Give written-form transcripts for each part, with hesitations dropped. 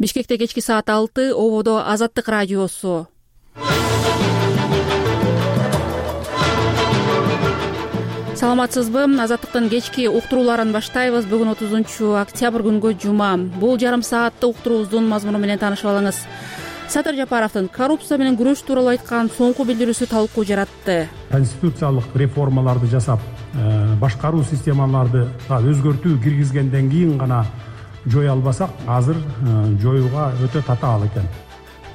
Бишкекте кечки саат 6, ободо Азаттык радиосу. Саламатсызбы? Азаттыктын кечки уктурууларын баштайбыз. Бүгүн 30-октябрь күнгө жума. Бул жарым саатты уктуруубуздун мазмуну менен таанышып алыңыз. Садыр Жапаровдун коррупция менен күрөш тууралуу айткан соңку билдирүүсү талкуу жаратты. Конституциялык реформаларды жасап, башкаруу системаларды өзгөртүү киргизгенден кийин гана жое албасак, азыр жоюуга өтө татаал экен.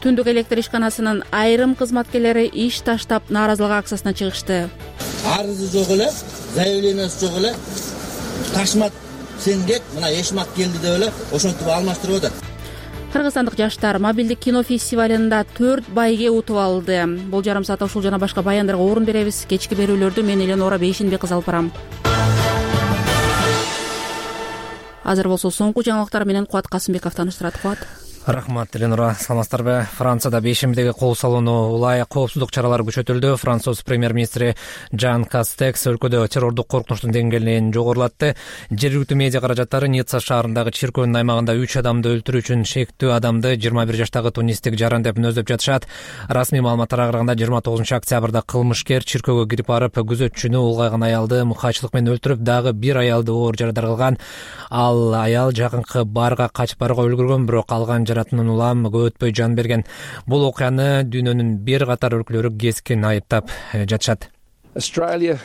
Түндүк электр ишканасынын айрым кызматкерлери иш таштап нааразылык акциясына чыгышты. Арызы жок эле, заявлениясы жок эле, ташмат сенгек, мына эшмак келди деп эле ошентип алмаштырып атат. Кыргызстандык жаштар мобилдик кино фестивалында 4 байге утуп алды. Бул жарым саатта ушул жана башка баяндарга орун беребиз. Кечки берүүлөрдү мен Эленора Бейшенбек кыз алып барам. Азыр болсо соңку жаңылыктар менен Кубат Касымбеков тааныштырат. Кубат. Рахмат, Эленора. Саламатсыздарбы? Францияда бейшембидеги кол салууну улай коопсуздук чаралары күчөтүлдү. Француз премьер-министри Жан Кастекс өлкөдө террордук коркунучтун деңгээлин жогорулатты. Жергиликтүү медиа каражаттары Ницца шаарындагы чиркөөнүн аймагында 3 адамды өлтүрүү үчүн шектүү адамды 21 жаштагы тунистик жаран деп мүнөздөп жатышат. Расмий маалыматтарга караганда 29-октябрда кылмышкер чиркөөгө кирип барып, күзөтчүнү улгайган аялды мыкаачылык менен өлтүрүп, дагы бир аялды оор жарадар кылган. Ал аял жакынкы барга качып барууга үлгүргөн, бирок алган жаратынан улам көп өтпөй жан берген. Бул окуяны дүйнөнүн бир катар өлкөлөрү кескин айыптап жатышат. Австралия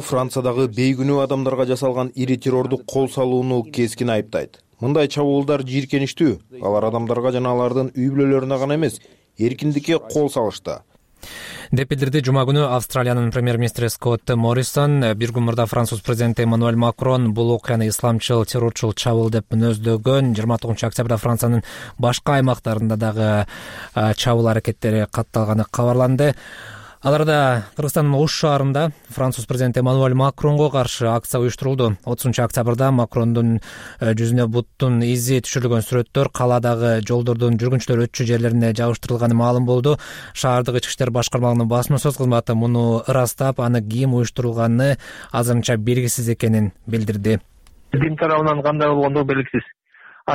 Франциядагы бейгүнөө адамдарга жасалган ири террордук кол салууну кескин айыптайт. Мындай чабуулдар жийиркеничтүү. Алар адамдарга жана алардын үй бүлөлөрүнө гана эмес, эркиндикке кол салышты деп билдирди жума күнү Австралиянын премьер-министри Скотт Моррисон. Бир күн мурда Француз президенти Эммануэль Макрон бул окуяны исламчыл, террорчул чабуул деп мүнөздөгөн. 29-октябрда Франциянын башка аймактарында дагы чабуул аракеттери катталганы кабарланды. Аларда Кыргызстандын Ош шаарында Француз президенти Эммануэль Макронго каршы акция уюштурулду. 30-октябрда Макрондун жүзүнө буттун изи түшүрүлгөн сүрөттөр кааладагы жолдордун жүргүнчүлөр өтчү жерлерине жабыштырылганы маалым болду. Шаардык ички иштер башкармалыгынын басма сөз кызматы муну ырастап, аны ким уюштурулганы азырынча белгисиз экенин билдирди. Дин тарабынан кандай болгондугу белгисиз.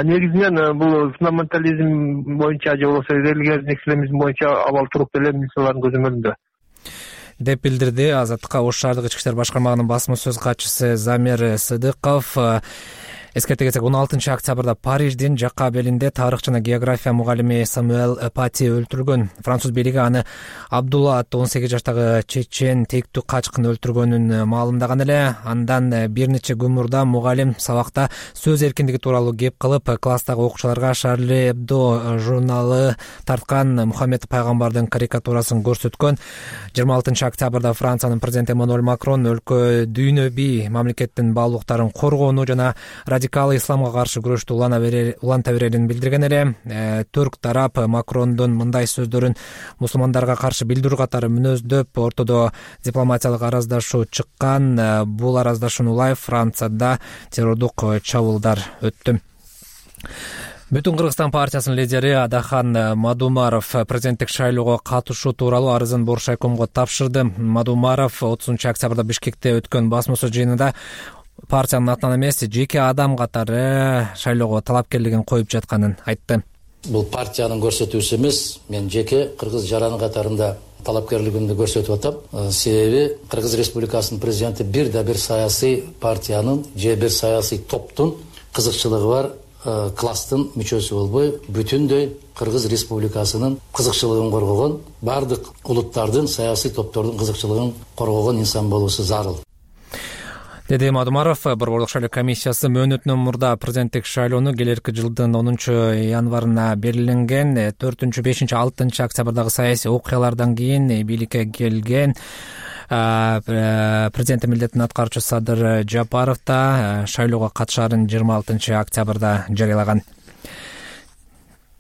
Негизинен бул фундаментализм боюнча же болбосо религиозный экстремизм боюнча абал туруп эле милициялардын көзөмөлүндө деп билдирди. Азаттыкка Ош шаардык ички иштер башкармалыгынын басма сөз катчысы Замир Сыдыков. Эскерте кетсек, 16-октябрда Париждин жакка белинде тарых жана география мугалими Самуэль Пати өлтүрүлгөн. Француз бийлиги аны Абдулла аттуу 18 жаштагы чечен тектүү качкын өлтүргөнүн маалымдаган эле. Андан бир нече күн мурда мугалим сабакта сөз эркиндиги тууралуу кеп кылып, класстагы окуучуларга Шарли Эбдо журналы тарткан Мухаммед пайгамбардын карикатурасын көрсөткөн. 26-октябрда Франциянын президенти Эммануэль Макрон өлкө дүйнөбий мамлекеттин баалуулуктарын коргоону жана радикал исламга каршы күрөштү уланта берерин билдирген эле. Түрк тарап Макрондун мындай сөздөрүн мусулмандарга каршы билдирүү катары мүнөздөп, ортодо дипломатиялык араздашуу чыккан. Бул араздашууну улай Францияда террордук чабуулдар өттү. Бүтүн Кыргызстан партиясынын лидери Адахан Мадумаров президенттик шайлоого катышуу тууралуу арызын Боршайкомго тапшырды. Мадумаров 30-октябрда Бишкекте өткөн басма сөз жыйынында партиянын атынан эмес, жеке адам катары шайлоого талапкерлигин коюп жатканын айтты. Бул партиянын көрсөтүүсү эмес, мен жеке кыргыз жараны катарында талапкерлигимди көрсөтүп атам. Себеби Кыргыз Республикасынын президенти бир саясий партиянын же бир саясий топтун кызыкчылыгы бар класстын мүчөсү болбой, бүтүндөй Кыргыз Республикасынын кызыкчылыгын коргогон, бардык улуттардын саясий топтордун кызыкчылыгын коргогон инсан болуусу зарыл деди Мадумаров. Борборлук шайлоо комиссиясы мөөнөтүнөн мурда президенттик шайлоону келерки жылдын 10-январына белгиленген. 4-5-6 октябрдагы саясий окуялардан кийин бийликке келген президенттин милдетин аткаруучу Садыр Жапаров да шайлоого катышаарын 26 октябрда жарыялаган.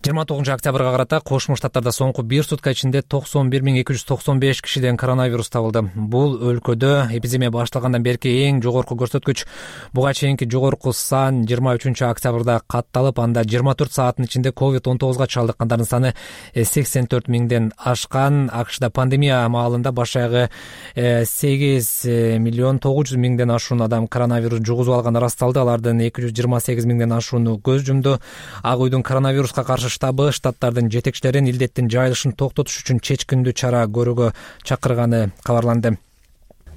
29 октябрга карата Кошмо Штаттарда соңку бир сутка ичинде 91.295 кишиден коронавирус табылды. Бул өлкөдө эпидемия башталгандан берки эң жогорку көрсөткүч. Буга чейинки жогорку сан 23 октябрда катталып, анда 24 сааттын ичинде COVID-19 чалдыккандардын саны 84 миңден ашкан. АКШда пандемия маалында баш аягы 8.900.000 ашуун адам коронавирус жугузуп алганы ырасталды. Алардын 228.000 ашууну көз жумду. Ак үйдүн коронавируска каршы штабы штаттардын жетекчилерин илдеттин жайылышын токтотуш үчүн чечкиндүү чара көрүүгө чакырганы кабарланды.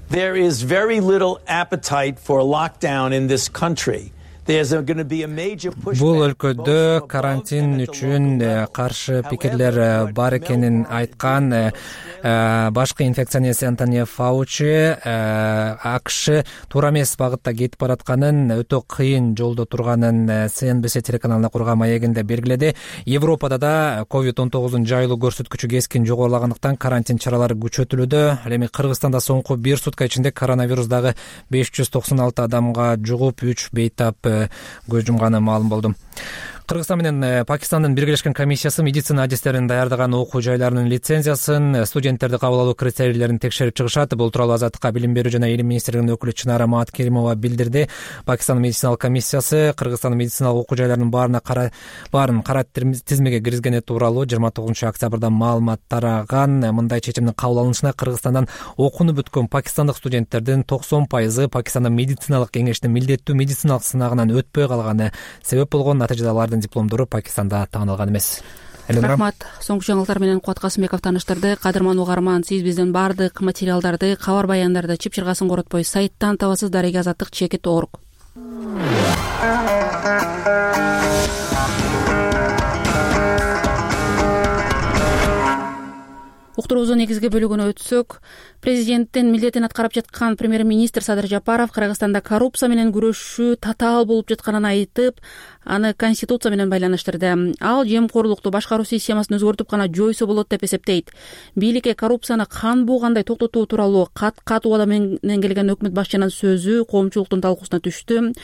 There is very little appetite for a lockdown in this country. Бул өлкөдө карантин үчүн каршы пикирлер бар экенин айткан башкы инфекционист Антони Фаучи АКШ туура эмес багытта кетип баратканын, өтө кыйын жолдо турганын CNBC телеканалына курган маегинде белгиледи. Европада да COVID-19 жайылуу көрсөткүчү кескин жогорулагандыктан карантин чаралары күчөтүлүүдө. Ал эми Кыргызстанда соңку бир сутка ичинде коронавирус дагы 596 адамга жугуп, 3 бейтап көз жумганы маалым болду. Кыргызстан менен Пакистандын биргелешкен комиссиясы медицина адистерин даярдаган окуу жайларынын лицензиясын, студенттерди кабыл алуу критерийлерин текшерип чыгышат. Бул тууралуу Азаттыкка Билим берүү жана Илим министрлигинин өкүлү Чынара Маткеримова билдирди. Пакистандын медициналык комиссиясы Кыргызстандын медициналык окуу жайларынын баарын кара тизмеге киргизгени тууралуу 29 октябрда маалымат тараган. Мындай чечимдин кабыл алынышына Кыргызстандан окууну бүткөн пакистандык студенттердин 90% Пакистандын медициналык кеңештин милдеттүү медициналык сынагынан өтпөй калганы себеп болгон. Натыйжада алардын дипломдору Пакистанда таанылаган эмес. Рахмат. Соңку жаңылыктар менен Кубат Касымбеков тааныштырды. Кадырман угарман, сиз биздин баардык материалдарды, кабар баяндарды чып-чыргасын коротпой сайттан табасыз. Дареги Азаттык.org. Уктуруубуздун негизги бөлүгүнө өтсөк, президенттин милдетин аткарып жаткан премьер-министр Садыр Жапаров Кыргызстанда коррупция менен күрөшүү татаал болуп жатканын айтып, аны конституция менен байланыштырды. Ал жемкорлукту башкаруу системасын өзгөртүп гана жойсо болот деп эсептейт. Бийликке коррупцияны кан буугандай токтотуу тууралуу кат убада менен келген өкмөт башчынын сөзү коомчулуктун талкуусуна түштү.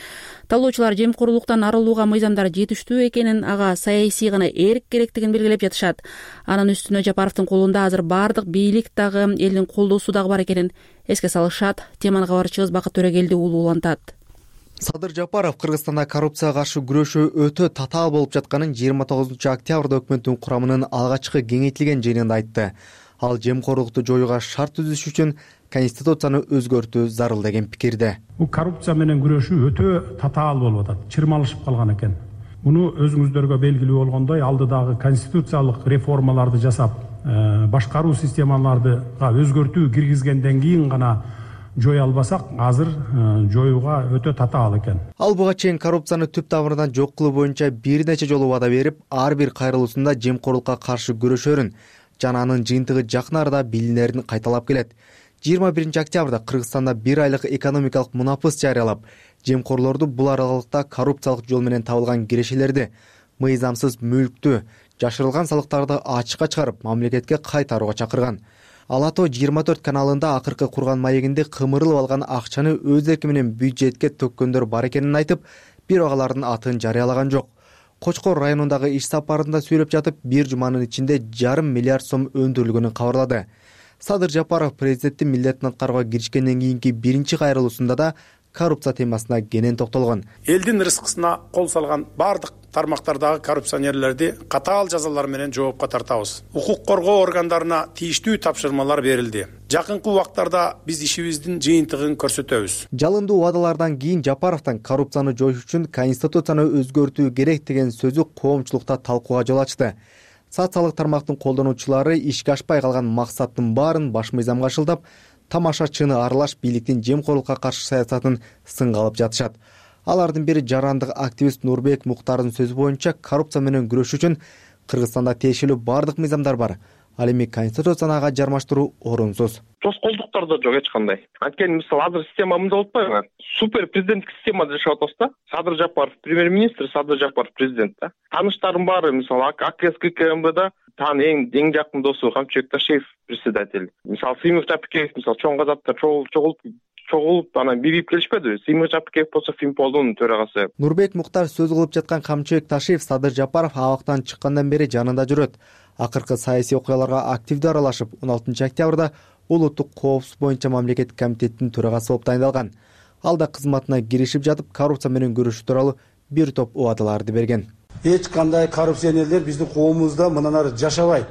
Талоочулар жемкорлуктан арылууга мыйзамдар жетиштүү экенин, ага саясий гана эрк керектигин белгилеп жатышат. Анын үстүнө Жапаровдун колунда азыр баардык бийлик дагы элдин колдоосу дагы бар экенин эске салышат. Теманы кабарчыбыз Бакыт Төрөгелди улуулантат. Садыр Жапаров Кыргызстанда коррупцияга каршы күрөшүү өтө татаал болуп жатканын 29 октябрда өкмөттүн курамынын алгачкы кеңейтилген жыйынында айтты. Ал жемкорлукту жоюуга шарт түзүш үчүн конституцияны өзгөртүү зарыл деген пикирде. Бул коррупция менен күрөшүү өтө татаал болуп атат, чырмалышып калган экен. Муну өзүңүздөргө белгилүү болгондой, алдыдагы конституциялык реформаларды жасап, башкаруу системаларды өзгөртүү киргизгенден кийин гана жоя албасак, азыр жоюуга өтө татаал экен. Ал буга чейин коррупцияны түп тамырынан жок кылуу боюнча бир нече жолу вада берип, ар бир кайрылуусунда жемкорлукка каршы күрөшөрүн жана анын жыйынтыгы жакын арада билинерин кайталап келет. 21 октябрда Кыргызстанда 1 айлык экономикалык мунапыс жарыялап, жемкорлорду бул аралыкта коррупциялык жол менен табылган кирешелерди, мыйзамсыз мүлктү, жашырылган салыктарды ачыкка чыгарып, мамлекетке кайтарууга чакырган. Алато 24 каналында акыркы курган маегинде кымырылып алган акчаны өз эрки менен бюджетке төккөндөр бар экенин айтып, бирок алардын атын жарыялаган жок. Кочкор районундагы иш сапарында сүйлөп жатып, бир жуманын ичинде 1,5 миллиард сом өндүрүлгөнүн кабарлады. Садыр Жапаров президенттин милдетин аткарууга киришкенден кийинки биринчи кайрылуусунда да коррупция темасына кенен токтолгон. Элдин рызкысына кол салган бардык тармактардагы коррупционерлерди катаал жазалар менен жоопко тартабыз. Укук коргоо органдарына тийиштүү тапшырмалар берилди. Жакынкы убактарда биз ишибиздин жыйынтыгын көрсөтөбүз. Жалындуу убадалардан кийин Жапаровдон коррупцияны жоюш үчүн конституцияны өзгөртүү керек деген сөзү коомчулукта талкууга жол ачты. Социалдык тармактын колдонуучулары ишке ашпай калган максаттын баарын баш мыйзамга шылдап, тамашачыны аралаш бийликтин жемкорлукка каршы саясатын сынга алып жатышат. Алардын бири жарандык активист Нурбек Муктардын сөзү боюнча, коррупция менен күрөш үчүн Кыргызстанда тиешелүү бардык мыйзамдар бар. Ал эми конституцияны ага жармаштыруу орунсуз. Тоскоолдуктар да жок эч кандай. Анткени мисалы азыр система мындай болуп атпайбы? Супер президенттик системада жашап атабыз да. Садыр Жапаров премьер-министр, Садыр Жапаров президент да. Таныштарым баары, мисалы АКСКМБда тан эң жакын досу Камчыбек Ташиев председатель. Мисалы Сыймов Тапикеев, мисалы чоң казапта чогулуп чогулуп анан бирип келишпедиби? Сыймык Жапыкеев болсо Финполдун төрагасы. Нурбек Муктар сөз кылып жаткан Камчыбек Ташиев Садыр Жапаров абактан чыккандан бери жанында жүрөт. Акыркы саясий окуяларга активдүү аралашып, 16 октябрда улуттук коопсуздук боюнча мамлекеттик комитеттин төрагасы болуп тайындалган. Ал да кызматына киришип жатып, коррупция менен күрөшүү тууралуу бир топ убадаларды берген. Эч кандай коррупционерлер биздин коомубузда мындан ары жашабайт.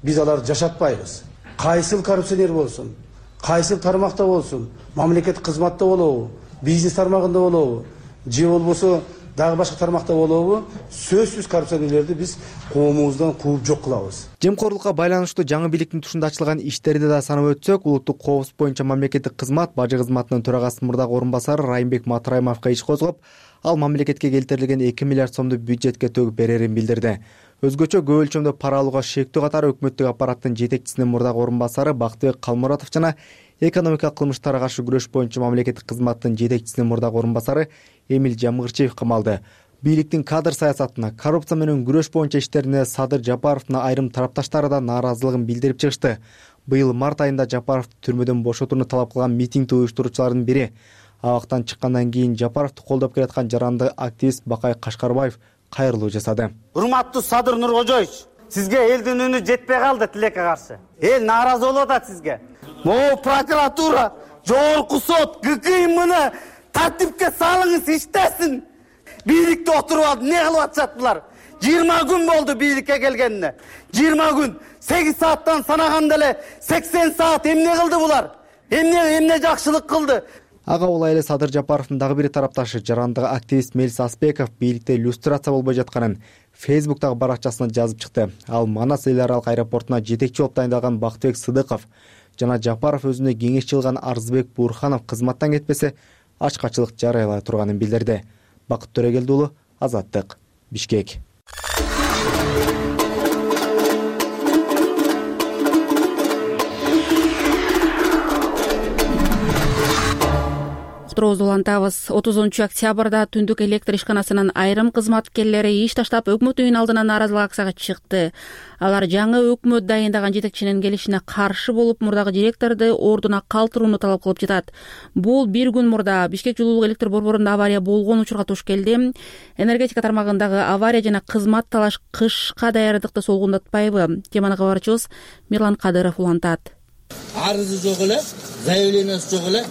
Биз аларды жашатпайбыз. Кайсыл коррупционер болсун, кайсыл тармакта болсун, мамлекеттик кызматта болобу, бизнес тармагында болобу, же болбосо дагы башка тармакта болобу, сөзсүз коррупционерлерди биз коомубуздан кууп жок кылабыз. Жемкорлукка байланыштуу жаңы бийликтин тушунда ачылган иштерди да санап өтсөк, улуттук коопсуздук боюнча мамлекеттик кызмат бажы кызматынын төрагасынын мурдагы орун басары Райымбек Матраимовго иш козгоп, ал мамлекетке келтирилген 2 миллиард сомду бюджетке төгүп берерин билдирди. Өзгөчө көп өлчөмдө пара алууга шектүү катары өкмөттүк аппараттын жетекчисинин мурдагы орун басары Бактыбек Калмуратов жана экономикалык кылмыштарга каршы күрөш боюнча мамлекеттик кызматтын жетекчисинин мурдагы орун басары Эмил Жамгырчиев камалды. Бийликтин кадр саясатына, коррупция менен күрөш боюнча иштерине Садыр Жапаровдун айрым тарапташтары да нааразылыгын билдирип чыгышты. Быйыл март айында Жапаровду түрмөдөн бошотууну талап кылган митингди уюштуруучулардын бири. Абактан чыккандан кийин Жапаровду колдоп келаткан жаранды активист Бакай Кашкарбаев кайрылуу жасады. Урматтуу Садыр Нуркожоевич, сизге элдин үнү жетпей калды тилекке каршы. Эл нааразы болуп атат сизге. Могу прокуратура, жогорку сот, ГКМны тартипке салыңыз, иштесин. Бийликте отуруп алып эмне кылып атышат булар? 20 күн болду бийликке келгенине. 20 күн, 8 сааттан санаганда эле 80 саат эмне кылды булар? Эмне жакшылык кылды? Ага улай эле Садыр Жапаровдун дагы бир тарапташы жарандык активист Мелис Аспеков бийликте иллюстрация болбой жатканын Facebook'тагы баракчасына жазып чыкты. Ал Манас эл аралык аэропортуна жетекчи болуп тайындалган Бактыбек Сыдыков жана Жапаров өзүнө кеңешчи кылган Арзыбек Бурханов кызматтан кетпесе ачкачылык жарыялай турганын билдирди. Бакыт Төрөгелди уулу, Азаттык, Бишкек. Уктуруубузду улантабыз. 30 октябрда түндүк электр ишканасынын айрым кызматкерлери иш таштап өкмөт үйүнүн алдына нааразылык акцияга чыкты. Алар жаңы өкмөт дайындаган жетекчинин келишине каршы болуп, мурдагы директорду ордуна калтырууну талап кылып жатат. Бул бир күн мурда Бишкек жылуулук электр борборунда авария болгон учурга туш келди. Энергетика тармагындагы авария жана кызмат талаш кышка даярдыкты солгундатпайбы? Теманы кабарчыбыз Мирлан Кадыров улантат. Арызы жок эле, заявлениясы жок эле,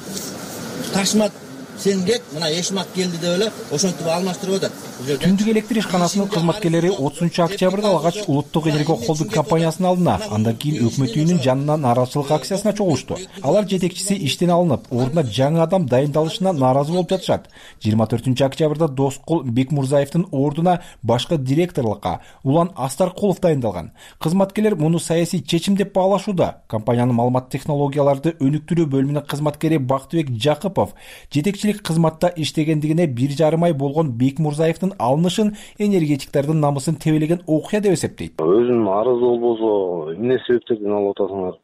ташмат сенгек мына эшмак келди деп эле ошентип алмаштырып атат. Түндүк электр ишканасынын кызматкерлери 30 октябрда алгач улуттук энергия холдинг компаниясынын алдына, андан кийин өкмөт үйүнүн жанына нааразычылык акциясына чогулушту. Алар жетекчиси иштен алынып, ордуна жаңы адам дайындалышына нааразы болуп жатышат. 24 октябрда Доскул Бекмурзаевдин ордуна башкы директорлукка Улан Астаркулов дайындалган. Кызматкерлер муну саясий чечим деп баалашууда. Компаниянын маалымат технологияларды өнүктүрүү бөлүмүнүн кызматкери Бактыбек Жакыпов жетекчилик кызматта иштегендигине 1,5 ай болгон Бекмурзаевдин алынышын энергетиктердин намысын тебелеген окуя деп эсептейт. Өзүнүн арызы болбосо эмне себептерден алып атасыңар?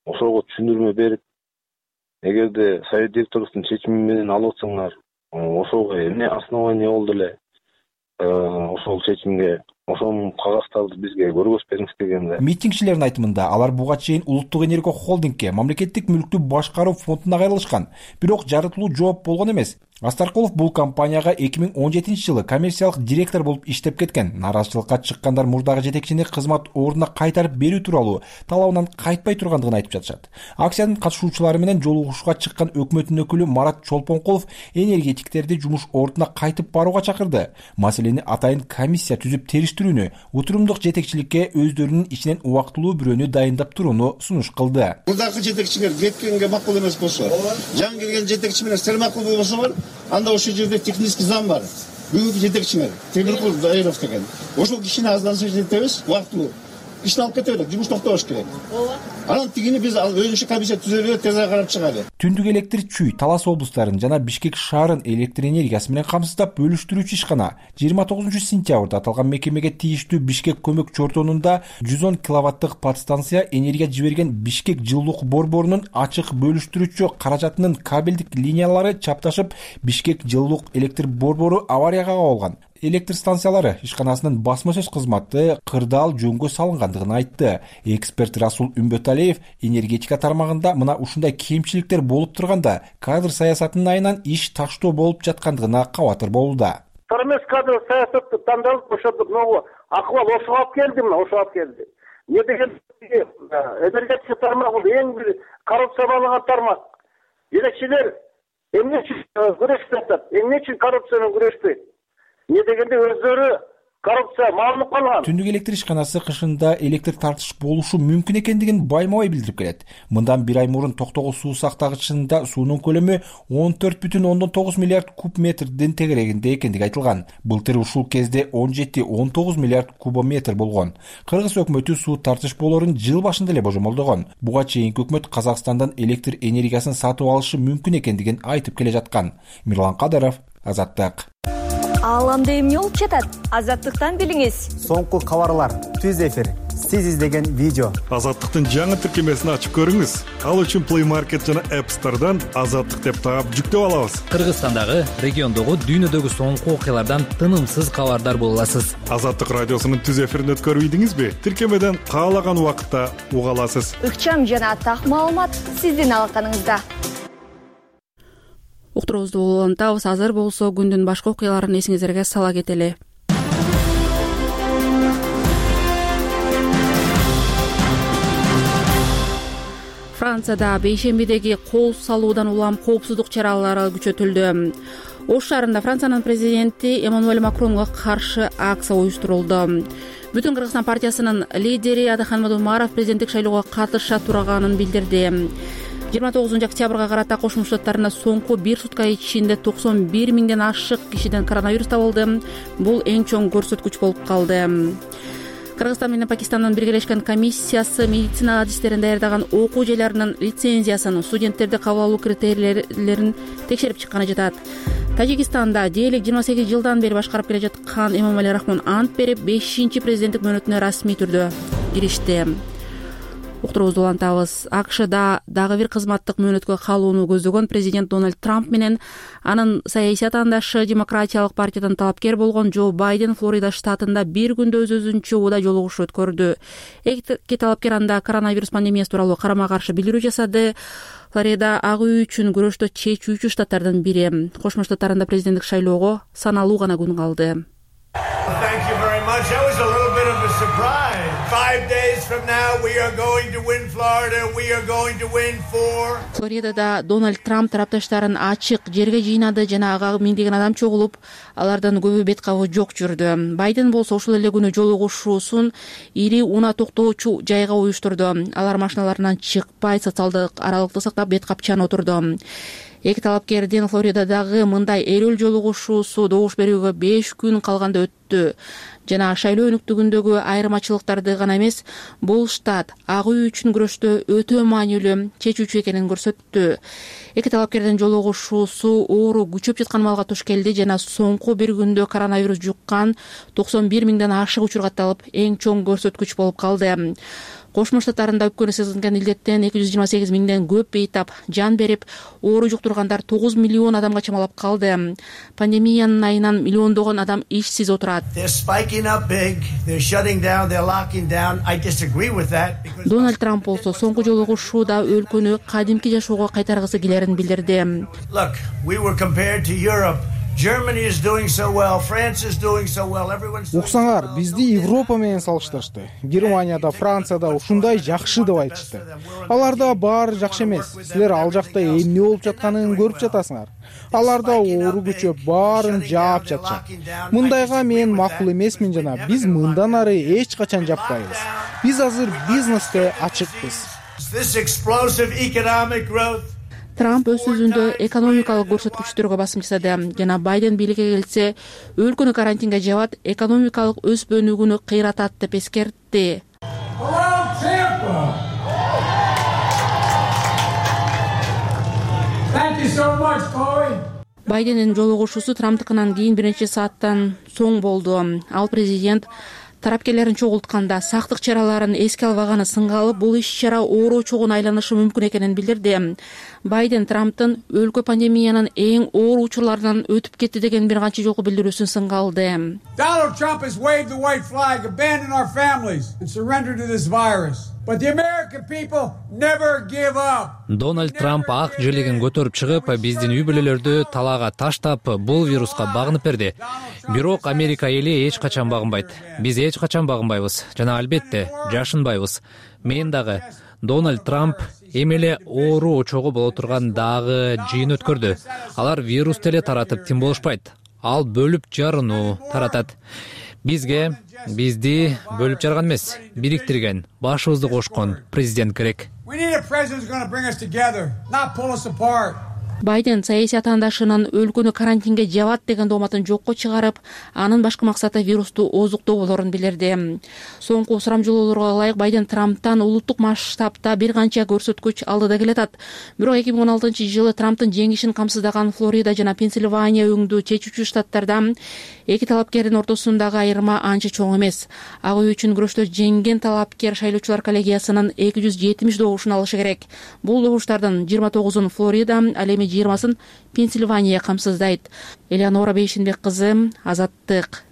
Ошого түшүндүрмө берип, эгерде совет директорлуктун чечими менен алып атсаңар, ошого эмне основание болду эле? Ошол чечимге ошонун кагазтарды бизге көргөзбөңүз дегенде. Митингчилердин айтымында алар буга чейин улуттук энергия холдингке мамлекеттик мүлктү башкаруу фондуна кайрылышкан, бирок жарытылуу жооп болгон эмес. Астаркулов бул компанияга 2017 жылы коммерциялык директор болуп иштеп кеткен. Нааразычылыкка чыккандар мурдагы жетекчини кызмат ордуна кайтарып берүү тууралуу талабынан кайтпай тургандыгын айтып жатышат. Акциянын катышуучулары менен жолугушууга чыккан өкмөттүн өкүлү Марат Чолпонкулов энергетиктерди жумуш ордуна кайтып барууга чакырды. Маселени атайын комиссия түзүп териштирүүнү, утурумдук жетекчиликке өздөрүнүн ичинен убактылуу бирөөнү дайындап турууну сунуш кылды. Мурдагы жетекчилер кеткенге макул эмес болсо, жаңы келген жетекчи менен сер макул болбосо, анда ошол жерде технический зам бар. Бүгүнкү жетекчиңер Темиркул Дайыров деген. Ошол кишини аздан соң жетебиз, убактылуу ишин алып кете берет, жумуш токтош керек. Анан тигини биз өзүнчө комиссия түзөлүп тез карап чыгалы. Түндүк электр Чүй, Талас облустарын жана Бишкек шаарын электр энергиясы менен камсыздап бөлүштүрүүчү ишкана 29 сентябрда аталган мекемеге тийиштүү Бишкек көмөк чортонунда 110 киловаттык подстанция энергия жиберген Бишкек жылуулук борборунун ачык бөлүштүрүүчү каражатынын кабелдик линиялары чапташып, Бишкек жылуулук электр борбору аварияга кабылган. электр станциялары ишканасынын басма сөз кызматы кырдаал жөнгө салынгандыгын айтты. Эксперт Расул Үмбөталиев энергетика тармагында мына ушундай кемчиликтер болуп турганда кадр саясатынын айынан иш таштоо болуп жаткандыгына кабатыр болууда. Эмес кадр саясатты тандалып ошондук акыбал ошого алып келди, ошого алып келди. Эмне деген энергетика тармагы эң бир коррупция болгон тармак. Жетекчилер эмне үчүн күрөшүп атат? Эмне үчүн коррупция менен күрөшпөйт? Эмне дегенде өздөрү коррупция маалынып калган. Түндүк электр ишканасы кышында электр тартыш болушу мүмкүн экендигин байма-бай билдирип келет. Мындан бир ай мурун Токтогул суу сактагычында суунун көлөмү 14,9 миллиард куб метрдин тегерегинде экендиги айтылган. Былтыр ушул кезде 17-19 миллиард кубометр болгон. Кыргыз өкмөтү суу тартыш болорун жыл башында эле божомолдогон. Буга чейинки өкмөт Казакстандан электр энергиясын сатып алышы мүмкүн экендигин айтып келе жаткан. Мирлан Кадыров, Азаттык. Ааламда эмне болуп жатат? Азаттыктан билиңиз. Соңку кабарлар, түз эфир, сиз издеген видео. Азаттыктын жаңы тиркемесин ачып көрүңүз. Ал үчүн Play Market жана App Store'дан Азаттык деп таап жүктөп алабыз. Кыргызстандагы, региондогу, дүйнөдөгү соңку окуялардан тынымсыз кабардар боло аласыз. Азаттык радиосунун түз эфирин өткөрбөйдүңүзбү? Тиркемеден каалаган убакытта уга аласыз. Ыкчам жана так маалымат сиздин алаканыңызда. Уктуруубузду улантабыз. Азыр болсо күндүн башка окуяларын эсиңиздерге сала кетели. Францияда бейшембидеги кол салуудан улам коопсуздук чаралары күчөтүлдү. Ош шаарында Франциянын президенти Эммануэль Макронго каршы акция уюштурулду. Бүтүн Кыргызстан партиясынын лидери Адыхан Мадумаров президенттик шайлоого катыша турганын билдирди. 29 октябрга карата Кошмо Штаттарында соңку бир сутка ичинде 91 миңден ашык кишиден коронавирус табылды. Бул эң чоң көрсөткүч болуп калды. Кыргызстан менен Пакистандын биргелешкен комиссиясы медицина адистерин даярдаган окуу жайларынын лицензиясын, студенттерди кабыл алуу критерийлерин текшерип чыкканы жатат. Тажикстанда дээрлик 28 жылдан бери башкарып келе жаткан Эмомали Рахмон ант берип, 5-чи президенттик мөөнөтүнө расмий түрдө киришти. Уктуруубузду улантабыз. АКШда дагы бир кызматтык мөөнөткө калууну көздөгөн президент Дональд Трамп менен анын саясий атаандашы Демократиялык партиядан талапкер болгон Джо Байден Флорида штатында бир күндө өз-өзүнчө убада жолугушуу өткөрдү. Эки талапкер анда коронавирус пандемиясы тууралуу карама-каршы билдирүү жасады. Флорида ак үй үчүн күрөштө чечүүчү штаттардын бири. Кошмо Штаттарында президенттик шайлоого саналуу гана күн калды. 5 days from now we are going to win Florida. We are going to win 4. Флоридада Дональд Трамп тарапташтарын ачык жерге жыйнады жана ага миңдеген адам чогулуп, алардан көбү бет кабы жок жүрдү. Байден болсо ушул эле күнү жолугушуусун ири унаа токтоочу жайга уюштурду. Алар машиналарынан чыкпай, социалдык аралыкты сактап, бет капчан отурду. Эки талапкердин Флоридадагы мындай эрүүл жолугушуусу добуш берүүгө 5 күн калганда өттү. Жана шайлоо өнүктүгүндөгү айырмачылыктарды гана эмес, бул штат ак үй үчүн күрөштө өтө маанилүү чечүүчү экенин көрсөттү. Эки талапкердин жолугушуусу оору күчөп жаткан маалга туш келди жана соңку бир күндө коронавирус жуккан 91 миңден ашык учур катталып, эң чоң көрсөткүч болуп калды. Кошмо Штаттарында өпкөнү сезилген илдеттен 228 миңден көп бейтап жан берип, оору жуктургандар 9 миллион адамга чамалап калды. Пандемиянын айынан миллиондогон адам ишсиз отурат. Дональд Трамп болсо соңку жолугушууда өлкөнү кадимки жашоого кайтаргысы келерин билдирди. Уксаңар, бизди Европа менен салыштырышты. Германияда, Францияда ушундай жакшы деп айтышты. Аларда баары жакшы эмес. Силер ал жакта эмне болуп жатканын көрүп жатасыңар. Аларда оору күчөп, баарын жаап жатышат. Мындайга мен макул эмесмин жана биз мындан ары эч качан жаппайбыз. Биз азыр бизнеске ачыкпыз. Трамп өз сөзүндө экономикалык көрсөткүчтөргө басым жасады жана Байден бийликке келсе өлкөнү карантинге жабат, экономикалык өспөнүүгүнү кыйратат деп эскертти. Байдендин жолугушуусу Трамптыкынан кийин бир нече сааттан соң болду. Ал президент тарапкерлерин чогултканда сактык чараларын эске албаганы сынга алып, бул иш-чара оору чогуна айланышы мүмкүн экенин билдирди. Байден Трамптын өлкө пандемиянын эң оор учурларынан өтүп кетти деген бир канча жолку билдирүүсүн сынга алды. Donald Trump has waved the white flag, abandoned our families and surrendered to this virus. But the American people never give up. Дональд Трамп ак желегин көтөрүп чыгып, биздин үй бүлөлөрдү талаага таштап, бул вируска багынып берди. Бирок Америка эли эч качан багынбайт. Биз эч качан багынбайбыз жана албетте жашынбайбыз. Мен дагы Дональд Трамп эми эле оору очогу боло турган дагы жыйын өткөрдү. Алар вирус деле таратып тим болушпайт. Ал бөлүп жарууну таратат. Бизди бөлүп жарган эмес, бириктирген, башыбызды кошкон президент керек. Байден саясий атаандашынын өлкөнү карантинге жабат деген дооматын жокко чыгарып, анын башкы максаты вирусту ооздуктоо болорун билдирди. Соңку сурамжылоолорго ылайык Байден Трамптан улуттук масштабта бир канча көрсөткүч алдыда келатат. Бирок 2016-жылы Трамптын жеңишин камсыздаган Флорида жана Пенсильвания өңдүү чечүүчү штаттарда эки талапкердин ортосундагы айырма анча чоң эмес. Ак үй үчүн күрөштө жеңген талапкер шайлоочулар коллегиясынын 270 добушун алышы керек. Бул добуштардын 29-ун Флорида, ал эми 20-сын Пенсильвания камсыздайт. Элеонора Бейшинбек кызы, Азаттык.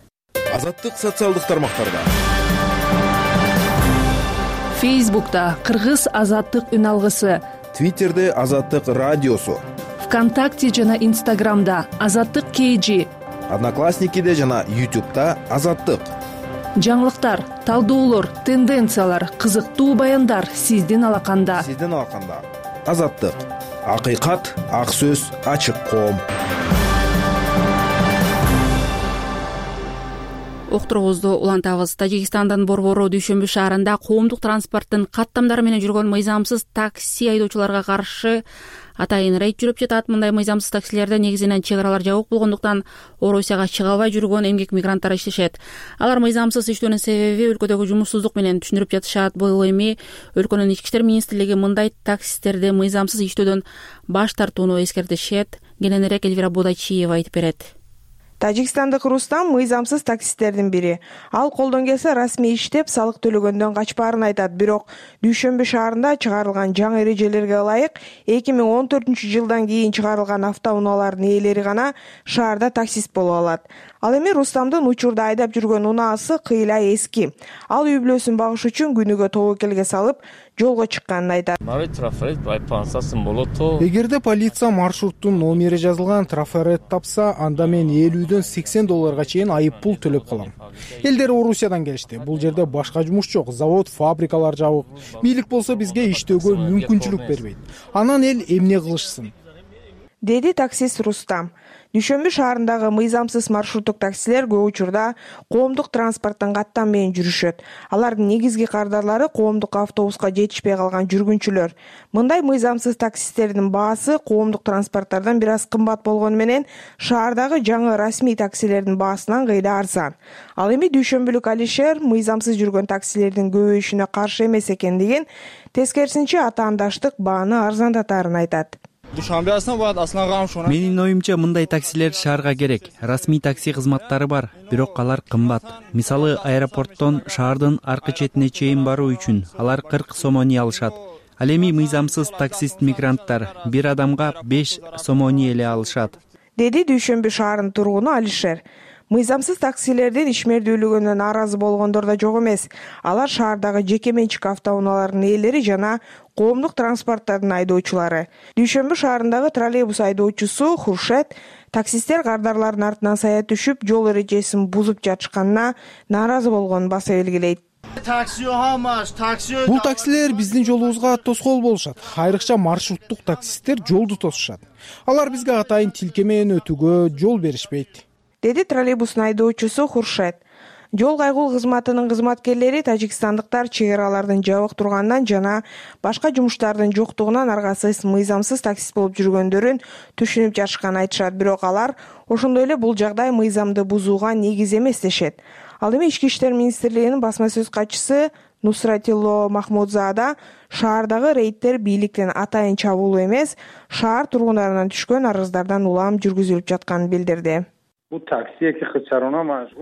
Азаттык социалдык тармактарда. Фейсбукта Кыргыз Азаттык үн алгысы, Твиттерде Азаттык радиосу, ВКонтакте жана Инстаграмда Азаттык KG, Одноклассникиде жана YouTube'да Азаттык. Жаңылыктар, талдоолор, тенденциялар, кызыктуу баяндар сиздин алаканда. Азаттык. Акыйкат, ак сөз, ачык коом. Окторубузду улантабыз. Тажикстандын Борбору дүйшөмбү шаарында коомдук транспорттун каттамдары менен жүргөн мыйзамсыз такси айдоочуларга каршы атайын рейд жүрүп жатат. Мындай мыйзамсыз таксилерде негизинен чек аралар жабык болгондуктан Орусияга чыга албай жүргөн эмгек мигранттар иштешет. Алар мыйзамсыз иштөөнүн себеби өлкөдөгү жумушсуздук менен түшүндүрүп жатышат. Бул эми өлкөнүн ички иштер министрлиги мындай таксистерди мыйзамсыз иштөөдөн баш тартууну эскертишет. Кененирээк Элвира Бодачиева айтып берет. Тажикстандык Рустам мыйзамсыз таксисттердин бири. Ал колдон келсе расмий иштеп, салык төлөгөндөн качпаарын айтат. Бирок Дүйшөмбү шаарында чыгарылган жаңы эрежелерге ылайык 2014-жылдан кийин чыгарылган автоунаалардын ээлери гана шаарда таксист боло алат. Ал эми Рустамдын учурда айдап жүргөн унаасы кыйла эски. Ал үй бүлөсүн багыш үчүн күнүгө тобокелге салып, жолго чыкканын айтат. Эгерде полиция маршруттун номери жазылган трафарет тапса, анда мен $50-80 чейин айып пул төлөп калам. Элдер Орусиядан келишти. Бул жерде башка жумуш жок, завод, фабрикалар жабык. Бийлик болсо бизге иштөөгө мүмкүнчүлүк бербейт. Анан эл эмне кылышсын? Деди таксист Рустам. Дүйшөмбү шаарындагы мыйзамсыз маршруттук таксилер көп учурда коомдук транспорттун каттам менен жүрүшөт. Алардын негизги кардарлары коомдук автобуска жетишпей калган жүргүнчүлөр. Мындай мыйзамсыз таксистердин баасы коомдук транспорттардан бир аз кымбат болгону менен шаардагы жаңы расмий таксилердин баасынан кыйда арзан. Ал эми дүйшөмбүлүк Алишер мыйзамсыз жүргөн таксилердин көбөйүшүнө каршы эмес экендигин, тескерисинче атаандаштык бааны арзандатаарын айтат. Менин оюмча мындай таксилер шаарга керек. Расмий такси кызматтары бар, бирок алар кымбат. Мисалы, аэропорттон шаардын аркы четине чейин баруу үчүн алар 40 сомони алышат. Ал эми мыйзамсыз таксист мигранттар бир адамга 5 сомони эле алышат. Деди Дүйшөмбү шаарынын тургуну Алишер. Мыйзамсыз таксилердин ишмердүүлүгүнө нааразы болгондор да жок эмес. Алар шаардагы жеке менчик автоунаалардын ээлери жана коомдук транспорттардын айдоочулары. Дүйшөмбү шаарындагы троллейбус айдоочусу Хуршет таксисттер кардарлардын артынан сая түшүп, жол эрежесин бузуп жатышканына нааразы болгонун баса белгилейт. Бул таксилер биздин жолубузга тоскоол болушат. Айрыкча маршруттук таксисттер жолду тосушат. Алар бизге атайын тилке менен өтүүгө жол беришпейт. Деди троллейбустун айдоочусу Хуршет. Жол кайгул кызматынын кызматкерлери тажикстандыктар чек аралардын жабык турганынан жана башка жумуштардын жоктугунан аргасыз мыйзамсыз таксист болуп жүргөндөрүн түшүнүп жатышканын айтышат. Бирок алар ошондой эле бул жагдай мыйзамды бузууга негиз эмес дешет. Ал эми Ички иштер министрлигинин басма сөз катчысы Нусратило Махмудзада шаардагы рейдтер бийликтен атайын чабуулуу эмес, шаар тургундарынан түшкөн арыздардан улам жүргүзүлүп жатканын билдирди.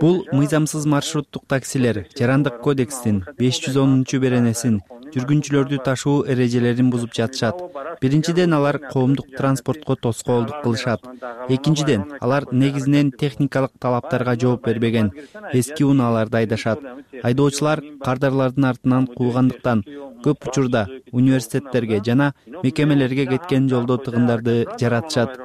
Бул мыйзамсыз маршруттук таксилер Жарандык кодекстин 510 беренесин жүргүнчүлөрдү ташуу эрежелерин бузуп жатышат. Биринчиден, алар коомдук транспортко тоскоолдук кылышат. Экинчиден, алар негизинен техникалык талаптарга жооп бербеген, эски унааларды айдашат. Айдоочулар кардарлардын артынан куугандыктан көп учурда университеттерге жана мекемелерге кеткен жолдо тыгындарды жаратышат,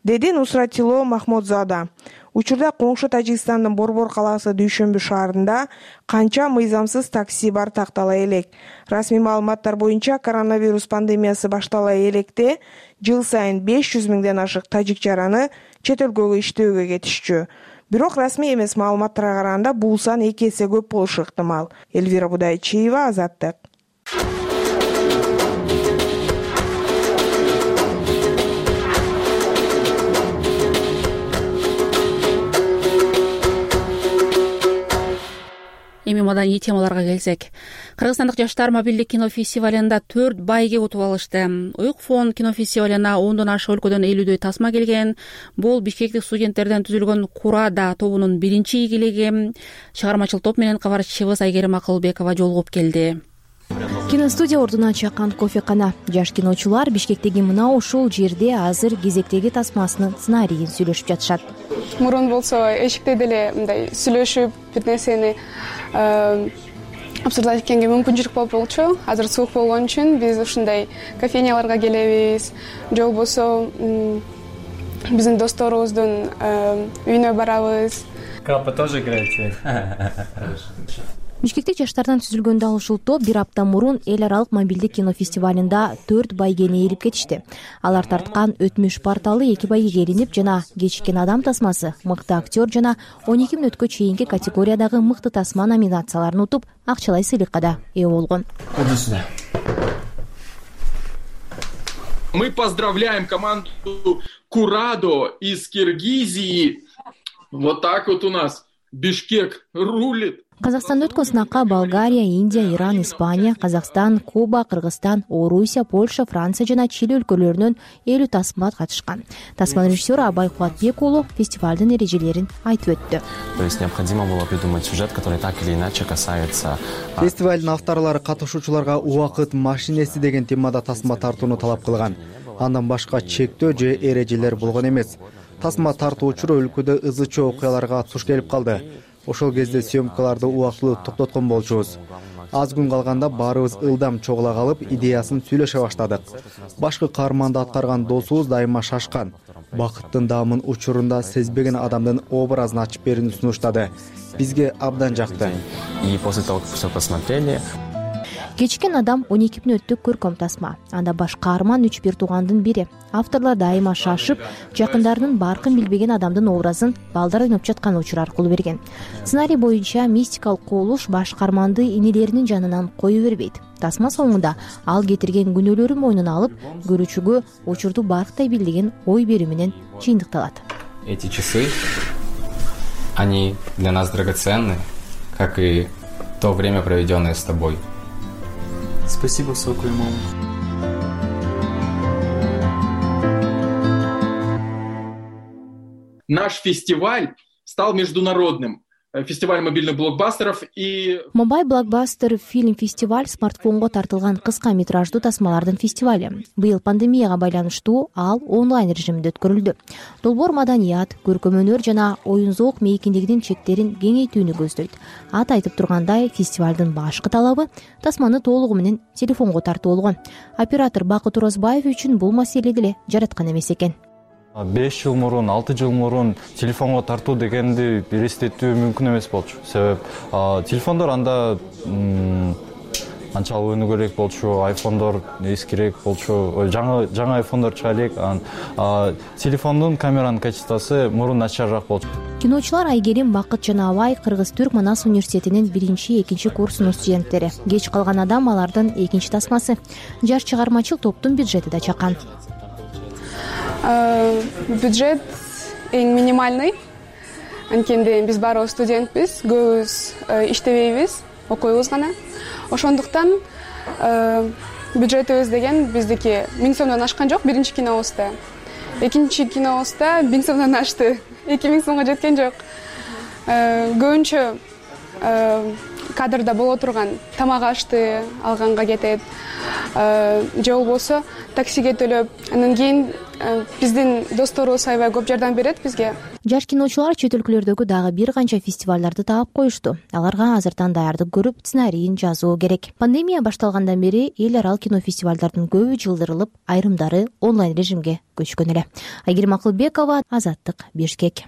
деди Нусратило Махмудзада. Учурда коңшу Тажикстандын Борбор калаасы Дүйшөмбү шаарында канча мыйзамсыз такси бар тактала элек. Расмий маалыматтар боюнча коронавирус пандемиясы баштала электе жыл сайын 500 миңден ашык тажик жараны чет өлкөгө иштөөгө кетишчү. Бирок расмий эмес маалыматтарга караганда бул сан 2 эсе көп болушу ыктымал. Элвира Будайчиева, Азаттык. Эми маданий темаларга келсек, кыргызстандык жаштар мобилдик кино фестивалында 4 байге утуп алышты. Уюк фон кино фестивалына 10дон ашык өлкөдөн 50дөй тасма келген. Бул бишкектик студенттерден түзүлгөн Курада тобунун биринчи ийгилиги. Чыгармачыл топ менен кабарчыбыз Айгерим Акылбекова жолугуп келди. Киностудия ордуна чаккан кофекана. Жаш киночулар Бишкектеги мына ушул жерде азыр кезектеги тасмасынын сценарийин сүйлөшүп жатышат. Мурун болсо эшикте деле мындай сүйлөшүп бир нерсени обсуждать эткенге мүмкүнчүлүк болчу. Азыр суук болгон үчүн биз ушундай кофейняларга келебиз. Же болбосо биздин досторубуздун үйүнө барабыз. Капа тоже играете? Бишкектик жаштардан түзүлгөн дал ушул топ бир апта мурун эл аралык мобилдик кино фестивалында 4 байгени ээлип кетишти. Алар тарткан Өтмүш порталы 2 байгеге ээлинип жана Кечиккен адам тасмасы, мыкты актер жана 12 мүнөткө чейинки категориядагы мыкты тасма номинацияларын утуп, акчалай сыйлыкка да ээ болгон. Мы поздравляем команду Курадо из Киргизии. Вот так вот у нас Бишкек рулит. Казакстанда өткөн сынакка Болгария, Индия, Иран, Испания, Казакстан, Куба, Кыргызстан, Орусия, Польша, Франция жана Чили өлкөлөрүнөн 50 тасма катышкан. Тасма режиссеру Абай Кубатбек уулу фестивалдын эрежелерин айтып өттү. То есть необходимо было придумать сюжет, который так или иначе касается. Фестивалдын авторлору катышуучуларга убакыт машинеси деген темада тасма тартууну талап кылган. Андан башка чектөө же эрежелер болгон эмес. Тасма тартуучу өлкөдө ызычуу окуяларга туш келип калды. Ошол кезде съемкаларды убактылуу токтоткон болчубуз. Аз күн калганда баарыбыз ылдам чогула калып, идеясын сүйлөшө баштадык. Башкы каарманды аткарган досубуз дайыма шашкан. Бакыттын даамын учурунда сезбеген адамдын образын ачып берүүнү сунуштады. Бизге абдан жакты. И после того, как все посмотрели, Кечиккен адам 12 мүнөттүк көркөм тасма. Анда баш каарман 3 туугандын бири. Авторлор дайыма шашып, жакындарынын баркын билбеген адамдын образын балдар ойноп жаткан учур аркылуу берген. Сценарий боюнча мистикалык кубулуш баш каарманды инелеринин жанынан кое бербейт. Тасма соңунда ал кетирген күнөөлөрү мойнуна алып, көрүүчүгө учурду барктай билдеген ой берүү менен жыйынтыкталат. Эти часы, они для нас драгоценны, как и то время, проведенное с тобой. Спасибо, Соку и мама. Наш фестиваль стал международным. Фестиваль мобильных блокбастеров и... Мобайл блокбастер фильм-фестиваль смартфонго тартылган кыска метраждуу тасмалардын фестивали. Быйыл пандемияга байланыштуу ал онлайн режиминде өткөрүлдү. Долбоор маданият, көркөм өнөр жана оюн зоок мейкиндигинин чектерин кеңейтүүнү көздөйт. Ат айтып тургандай, фестивалдын башкы талабы тасманы толугу менен телефонго тартуу болгон. Оператор Бакыт Оразбаев үчүн бул маселе деле жараткан эмес экен. 5 жыл мурун, 6 жыл мурун телефонго тартуу дегенди элестетүү мүмкүн эмес болчу. Себеп телефондор анда анчалык өнүгөрөөк болчу, айфондор эскирээк болчу, жаңы айфондор чыга элек. Телефондун камеранын качествосу мурун начарыраак болчу. Киночулар Айгерим, Бакыт жана Абай Кыргыз-Түрк Манас университетинин 1-2 курсунун студенттери. Кеч калган адам алардын экинчи тасмасы. Жаш чыгармачыл топтун бюджети да чакан. Бюджет эң минимальный. Анткенде биз баарыбыз студентпиз, көбүбүз иштебейбиз, окуйбуз гана. Ошондуктан бюджетибиз деген биздики 1000 сомдон ашкан жок биринчи кинобузда. Экинчи кинобузда 1000 сомдон ашты. 2000 сомго жеткен жок. Көбүнчө кадрда боло турган тамак ашты алганга кетет же болбосо таксиге төлөп, анан кийин биздин досторубуз аябай көп жардам берет бизге. Жаш киночулар чет өлкөлөрдөгү дагы бир канча фестивалдарды таап коюшту. Аларга азыртан даярдык көрүп, сценарийин жазуу керек. Пандемия башталгандан бери эл аралык кино фестивалдардын көбү жылдырылып, айрымдары онлайн режимге көчкөн эле. Айгерим Акылбекова, Азаттык, Бишкек.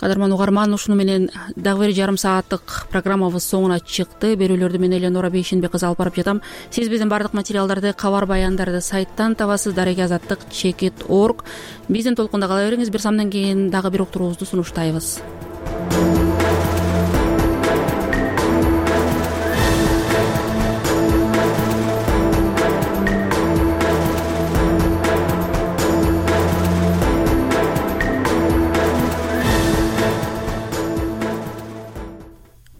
Кадырман угарман, ушуну менен дагы бир жарым сааттык программабыз соңуна чыкты. Берүүлөрдү мен Эленора Бейшенбек кызы алып барып жатам. Сиз биздин бардык материалдарды, кабар баяндарды сайттан табасыз, дареги-азаттык.org. Биздин толкунда кала бериңиз. Бир самдан кийин дагы бир уктуруубузду сунуштайбыз.